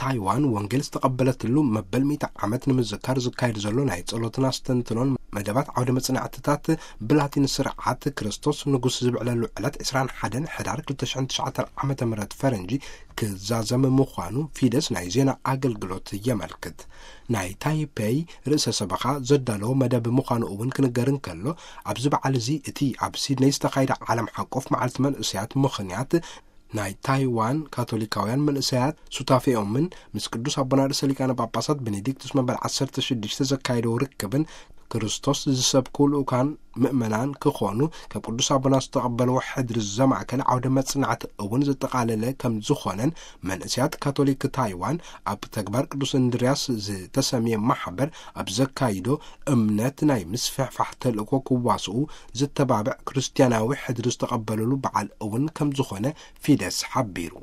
ታይዋን ወንጌል ዝተቐበለትሉ መበል ሚእቲ ዓመት ንምዝካር ዝካየድ ዘሎ ናይ ጸሎትን ኣስተንትኖን መደባት ዓውደ መጽናዕትታት ብላቲን ስርዓት ክርስቶስ ንጉስ ዝብዕለሉ ዕለት ዕስራን ሓደን ሕዳር ክልተ ሽሕን ትሽዓተን ዓመተ ምህረት ፈረንጂ ክዛዘም ምዃኑ ፊደስ ናይ ዜና ኣገልግሎት የመልክት። ናይ ታይፔይ ርእሰ ሰበኻ ዘዳለዎ መደብ ምዃኑ እውን ክንገር እንከሎ፣ ኣብዚ በዓል እዚ እቲ ኣብ ሲድነይ ዝተኻየደ ዓለም ሓቆፍ መዓልቲ መንእሰያት ምኽንያት ናይ ታይዋን ካቶሊካውያን መንእሰያት ሱታፌኦምን ምስ ቅዱስ ኣቦና ርእሰ ሊቃነ ጳጳሳት ቤኔዲክቱስ መበል ዓሰርተ ሽዱሽተ ዘካየደው ርክብን ክርስቶስ ዝሰብኩ ልኡካን ምእመናን ክኾኑ ካብ ቅዱስ ኣቦና ዝተቐበልዎ ሕድሪ ዘማእከለ ዓውደ መጽናዕቲ እውን ዘጠቓለለ ከም ዝኾነን መንእሰያት ካቶሊክ ታይዋን ኣብ ተግባር ቅዱስ እንድርያስ ዝተሰምየ ማሕበር ኣብ ዘካይዶ እምነት ናይ ምስፍሕፋሕ ተልእኮ ክዋስኡ ዝተባብዕ ክርስትያናዊ ሕድሪ ዝተቐበለሉ በዓል እውን ከም ዝኾነ ፊደስ ሓቢሩ።